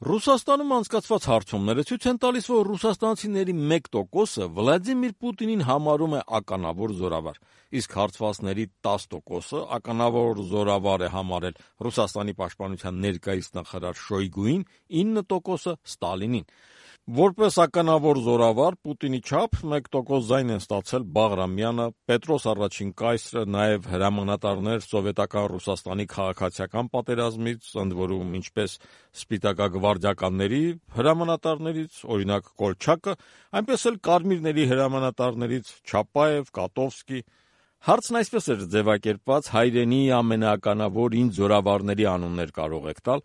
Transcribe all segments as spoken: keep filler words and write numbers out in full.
Ռուսաստանում անցկացված հարցումները ցույց են տալիս, որ ռուսաստանցիների մեկ տոկոսը Վլադիմիր Պուտինին համարում է ականավոր զորավար, իսկ հարցվածների տասը տոկոսը ականավոր զորավար է համարել Ռուսաստանի պաշտպանության ներկայիս նախարար Շոյգուին, ինը տոկոսը Ստալինին։ Որպես ականավոր զորավար Պուտինի չափ մեկ տոկոս ձայն են ստացել Բաղրամյանը, Պետրոս առաջին կայսրը, նաև հրամանատարներ սովետական Ռուսաստանի քաղաքացիական պատերազմից, ընդ որում ինչպես սպիտակագվարդիականների հրամանատարներից, օրինակ Կոլչակը, այնպես էլ կարմիրների հրամանատարներից Չապաև, Կատովսկի։ Հարցն այսպես էր ձևակերպված՝ հայրենի ամենաականավոր ինձ զորավարների անուններ կարող եք տալ։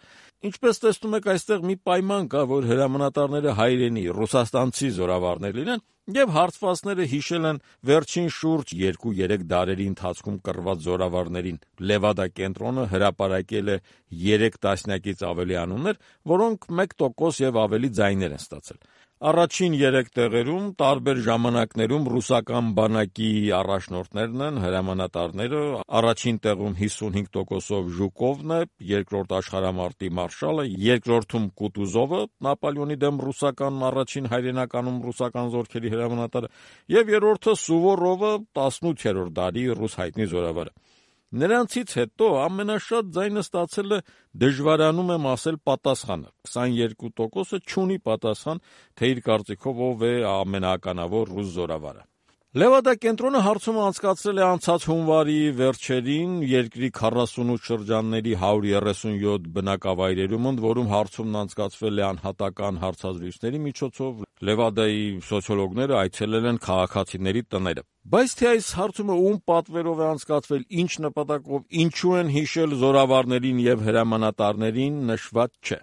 Ինչպես տեսնում եք, այստեղ մի պայման կա, որ հրամանատարները հայրենի ռուսաստանցի զորավարներ լինեն, եւ հարցվածները հիշել են վերջին շուրջ երկու-երեք դարերի ընթացքում կռված զորավարներին։ Լևադա կենտրոնը հրապարակել է երեք տասնյակից ավելի անուններ, որոնք մեկ տոկոս եւ ավելի ձայներ են ստացել։ Առաջին երեք տեղերում տարբեր ժամանակներում ռուսական բանակի առաջնորդներն են, հրամանատարները, առաջին տեղում հիսունհինգ տոկոսով Ժուկովն է, երկրորդ աշխարհամարտի մարշալը, երկրորդում Կուտուզովը, Նապոլեոնի դեմ ռուսական առաջին հայրենականում ռուսական զորքերի հրամանատարը, եւ երրորդը Սուվորովը, տասնութերորդ դարի ռուս հայտնի զորավարը։ Նրանցից հետո ամենաշատ ձայնը ստացել է, դժվարանում եմ ասել, պատասխանը։ քսանուերկու տոկոսը չունի պատասխան, թե իր կարծիքով ով է ամենաականավոր ռուս զորավարը։ Լևադա կենտրոնը հարցումը անցկացրել է անցած հունվարի վերջերին երկրի քառասունութ շրջանների հարյուր երեսունյոթ բնակավայրերում, ընդ որում հարցումն անցկացվել է անհատական հարցազրույցների միջոցով։ Լևադայի սոցիոլոգները այցելել են քաղաքացիների տները։ Բայց թե այս հարցումը ում պատվերով է անցկացվել, ինչ նպատակով, ինչու են հիշել զորավարներին եւ հրամանատարներին, նշված չէ։